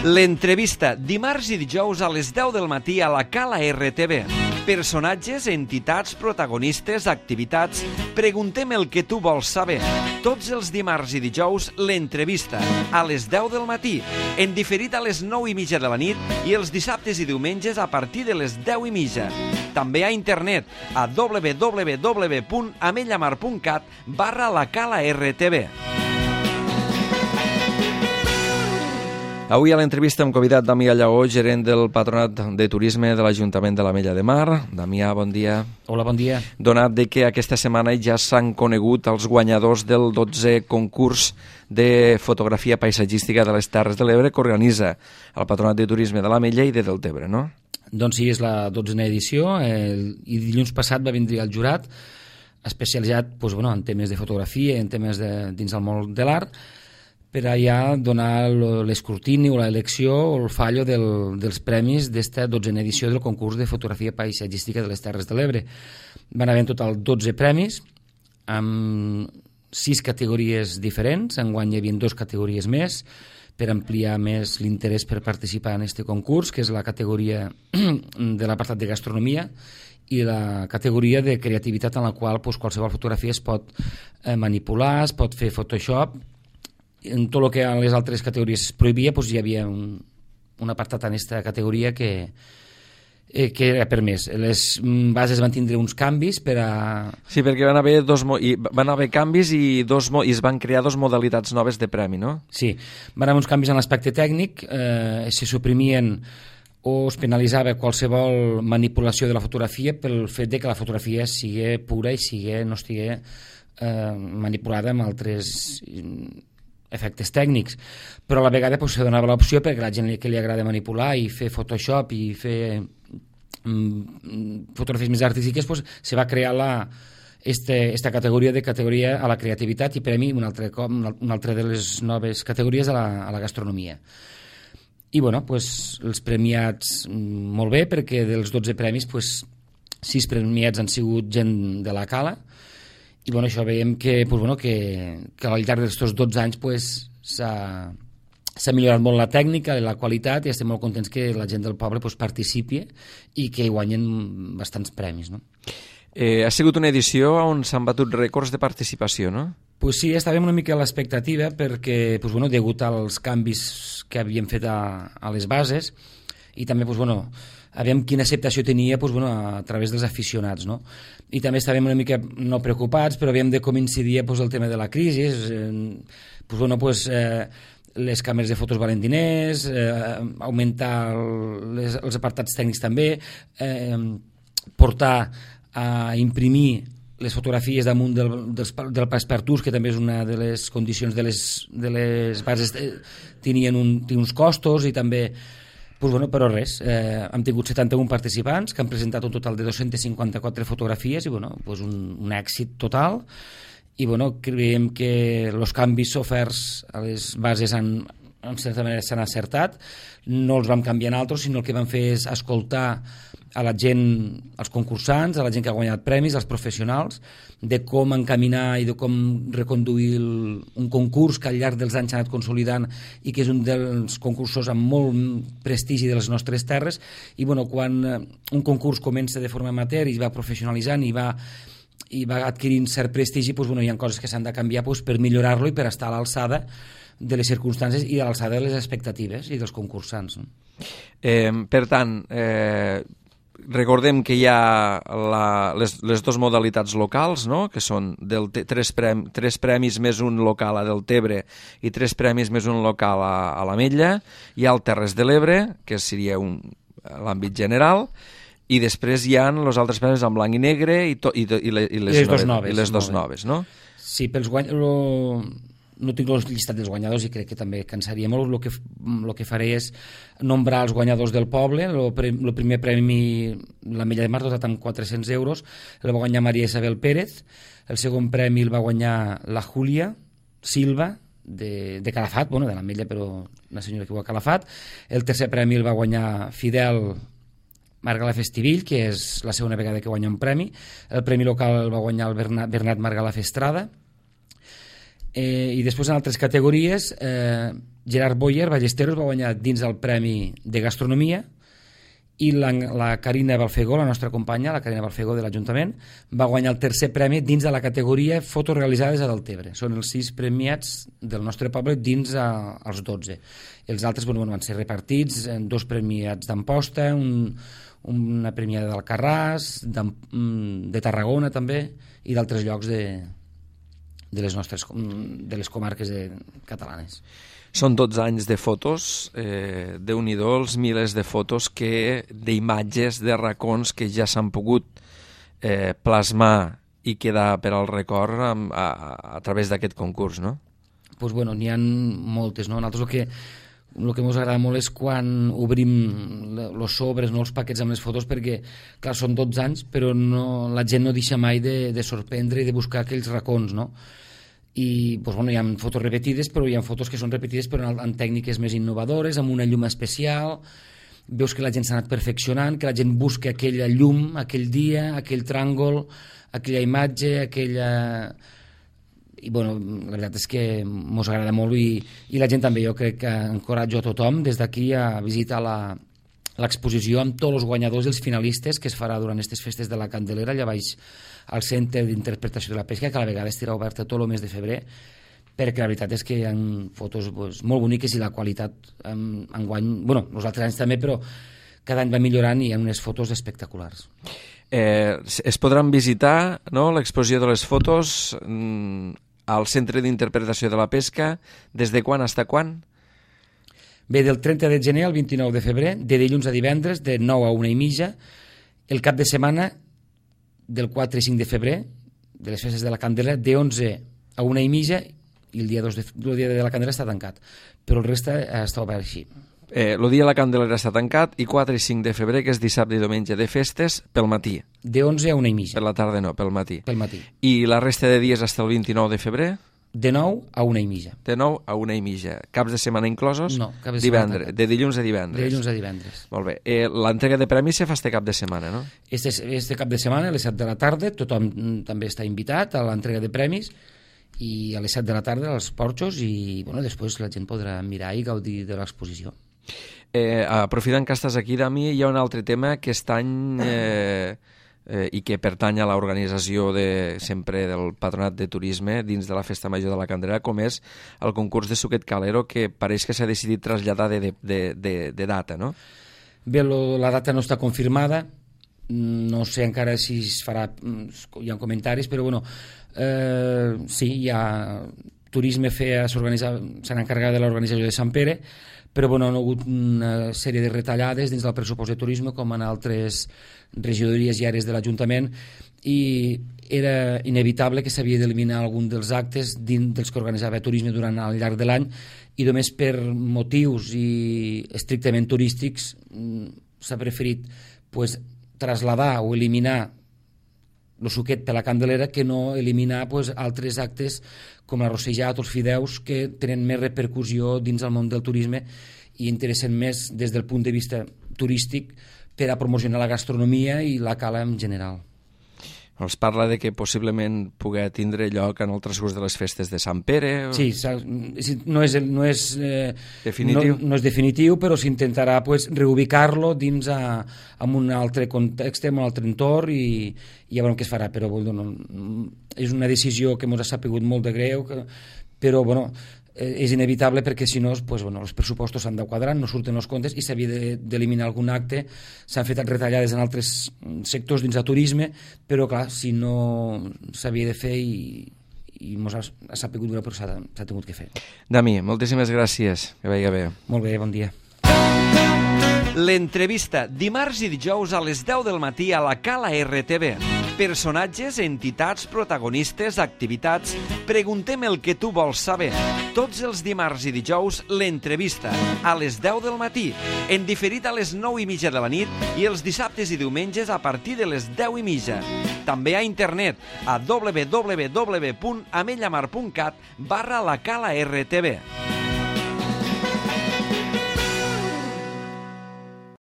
L'entrevista, dimarts i dijous a les 10 del matí a la Cala RTV. Personatges, entitats, protagonistes, activitats. Preguntem el que tu vols saber. Tots els dimarts i dijous, l'entrevista, a les 10 del matí, en diferit a les 9:30 de la nit i els dissabtes i diumenges a partir de les 10:30. També a internet, a www.amellamar.cat/la Cala RTV. Avui a l'entrevista hem convidat Damià Lleó, gerent del Patronat de Turisme de l'Ajuntament de l'Ametlla de Mar. Damià, bon dia. Hola, bon dia. Donat de que aquesta setmana ja s'han conegut els guanyadors del 12è concurs de fotografia paisatgística de les Terres de l'Ebre que organitza el Patronat de Turisme de l'Ametlla i de Deltebre, no? Doncs sí, és la 12a edició i dilluns passat va vindre el jurat especialitzat en temes de fotografia, en temes dins del món de l'art, per allà donar l'escrutini o l'elecció o el fallo dels premis d'esta 12a edició del concurs de fotografia paisatgística de les Terres de l'Ebre. Van haver en total 12 premis amb 6 categories diferents. Enguany hi havia 2 categories més per ampliar més l'interès per participar en aquest concurs, que és la categoria de l'apartat de gastronomia i la categoria de creativitat, en la qual qualsevol fotografia es pot manipular, es pot fer Photoshop. En tot el que a les altres categories es prohibia, hi havia un apartat en aquesta categoria que era permès. Les bases van tindre uns canvis per a... Sí, perquè van haver canvis i es van crear 2 modalitats noves de premi, no? Sí, van haver uns canvis en l'aspecte tècnic, se suprimien o es penalitzava qualsevol manipulació de la fotografia pel fet de que la fotografia sigui pura i no estigui manipulada amb altres efectes tècnics, però a la vegada se donava l'opció perquè la gent que li agrada manipular i fer Photoshop i fer fotografies més artístiques, se va crear esta categoria a la creativitat i premi una altra de les noves categories a la gastronomia. I els premiats molt bé, perquè dels 12 premis 6 premiats han sigut gent de la Cala. I això veiem que al llarg d'aquests 12 anys s'ha millorat molt la tècnica, la qualitat, i estem molt contents que la gent del poble participi i que guanyen bastants premis, no? Ha sigut una edició on s'han batut rècords de participació, no? Pues sí, estàvem una mica a l'expectativa perquè, degut als canvis que havíem fet a les bases i també, aviam quina acceptació tenia a través dels aficionats, no? I també estàvem una mica no preocupats, però havíem de com incidir el tema de la crisi, les càmeres de fotos valen diners, augmentar els apartats tècnics també, portar a imprimir les fotografies damunt del passepartout, que també és una de les condicions de les bases, tenien uns costos, i també però res, hem tingut 71 participants que han presentat un total de 254 fotografies i un èxit total, i creiem que els canvis oferts a les bases en certa manera s'han acertat. No els vam canviar en altres, sinó el que vam fer és escoltar a la gent, als concursants, a la gent que ha guanyat premis, als professionals, de com encaminar i de com reconduir un concurs que al llarg dels anys s'ha anat consolidant i que és un dels concursos amb molt prestigi de les nostres terres. I quan un concurs comença de forma amateur i va professionalitzant i va adquirint cert prestigi, hi ha coses que s'han de canviar per millorar-lo i per estar a l'alçada de les circumstàncies i a l'alçada de les expectatives i dels concursants, no? Per tant, recordem que hi ha les 2 modalitats locals, no? Que són 3 premis més un local a Deltebre i 3 premis més un local a l'Ametlla. Hi ha el Terres de l'Ebre, que seria l'àmbit general, i després hi ha els altres premis en blanc i negre i les 2 noves, no? Sí, no tinc el llistat dels guanyadors i crec que també cansaria molt. El que faré és nombrar els guanyadors del poble. El primer premi, l'Ametlla de Mar, dotat amb 400 euros, el va guanyar Maria Isabel Pérez. El segon premi el va guanyar la Júlia Silva, de Calafat, de l'Ametlla, però una senyora que viu a Calafat. El tercer premi el va guanyar Fidel Margalà Festivill, que és la segona vegada que guanya un premi. El premi local el va guanyar el Bernat Margalà Estrada. I després en altres categories Gerard Boyer, Ballesteros, va guanyar dins el Premi de Gastronomia, i la Carina Balfegó, la nostra companya, la Carina Balfegó de l'Ajuntament, va guanyar el tercer premi dins de la categoria fotos realitzades a Deltebre. Són els 6 premiats del nostre poble dins els 12. Els altres van ser repartits en 2 premiats d'Amposta, una premiada d'Alcarràs, de Tarragona també, i d'altres llocs de les comarques catalanes. Són 12 anys de fotos, Déu-n'hi-do, els milers de fotos, d'imatges, de racons que ja s'han pogut plasmar i quedar per al record a través d'aquest concurs, no? Doncs n'hi ha moltes, no? Nosaltres el que ens agrada molt és quan obrim els sobres, els paquets amb les fotos, perquè, clar, són 12 anys, però la gent no deixa mai de sorprendre i de buscar aquells racons, no? I hi ha fotos repetides, però hi ha fotos que són repetides però en tècniques més innovadores, amb una llum especial. Veus que la gent s'ha anat perfeccionant, que la gent busca aquella llum, aquell dia, aquell tràngol, aquella imatge, aquella... I la veritat és que ens agrada molt i la gent també. Jo crec que encoratjo a tothom des d'aquí a visitar l'exposició amb tots els guanyadors i els finalistes que es farà durant aquestes festes de la Candelera allà baix al Centre d'Interpretació de la Pesca, que a la vegada estarà oberta tot el mes de febrer, perquè la veritat és que hi ha fotos molt boniques i la qualitat enguany, els altres anys també, però cada any va millorant i hi ha unes fotos espectaculars. Es podran visitar, no?, l'exposició de les fotos al Centre d'Interpretació de la Pesca des de quan fins quan? Bé, del 30 de gener al 29 de febrer, de dilluns a divendres, de 9 a 1:30, el cap de setmana del 4 i 5 de febrer, de les festes de la Candela, de 11 a 1:30, i el dia de la Candela està tancat, però el reste està obert així. El dia de la Candelera està tancat i 4 i 5 de febrer, que és dissabte i diumenge de festes, pel matí. De 11 a 1:30. Per la tarda no, pel matí. Pel matí. I la resta de dies fins el 29 de febrer? De 9 a 1:30. De 9 a 1:30. Caps de setmana inclosos? No, cap de setmana tancat. De dilluns a divendres. De dilluns a divendres. Molt bé. L'entrega de premis se fa este cap de setmana, no? Este cap de setmana, a les 7 de la tarda, tothom també està invitat a l'entrega de premis, i a les 7 de la tarda als porxos, i després la gent podrà mirar i gaudir de l'exposició. Aprofitant que estàs aquí, Dami, hi ha un altre tema que aquest any i que pertany a l'organització sempre del Patronat de Turisme dins de la Festa Major de la Candelera, com és el concurs de suquet calero, que pareix que s'ha decidit traslladar de data, no? Bé, la data no està confirmada, no sé encara si es farà, hi ha comentaris, però sí, hi ha Turisme s'han encarregat de l'organització de Sant Pere, però hi ha hagut una sèrie de retallades dins del pressupost de turisme, com en altres regidories i àrees de l'Ajuntament, i era inevitable que s'havia d'eliminar algun dels actes dels que organitzava turisme durant el llarg de l'any, i només per motius estrictament turístics s'ha preferit traslladar o eliminar el suquet per la Candelera, que no eliminar altres actes com la rossejat o els fideus, que tenen més repercussió dins el món del turisme i interessen més des del punt de vista turístic per a promocionar la gastronomia i la cala en general. Es parla de que possiblement pugui tindre lloc en el transcurs de les festes de Sant Pere. Sí, no és definitiu. No és definitiu, però s'intentarà reubicar-lo dins en un altre context, en un altre entorn, i ja veurem què es farà. Però és una decisió que ens ha sapigut molt de greu, però és inevitable, perquè si no els pressupostos s'han de quadrar, no surten els comptes i s'havia d'eliminar algun acte. S'han fet retallades en altres sectors dins del turisme, però clar, si no s'havia de fer i ens ha sapigut greu, però s'ha tingut que fer. Dami, moltíssimes gràcies, que vagi bé. Molt bé, bon dia. L'entrevista, dimarts i dijous a les 10 del matí a la Cala RTV. Personatges, entitats, protagonistes, activitats. Preguntem el que tu vols saber. Tots els dimarts i dijous, l'entrevista, a les 10 del matí, en diferit a les 9:30 de la nit, i els dissabtes i diumenges a partir de les 10:30. També a internet a www.amellamar.cat/la Cala RTV.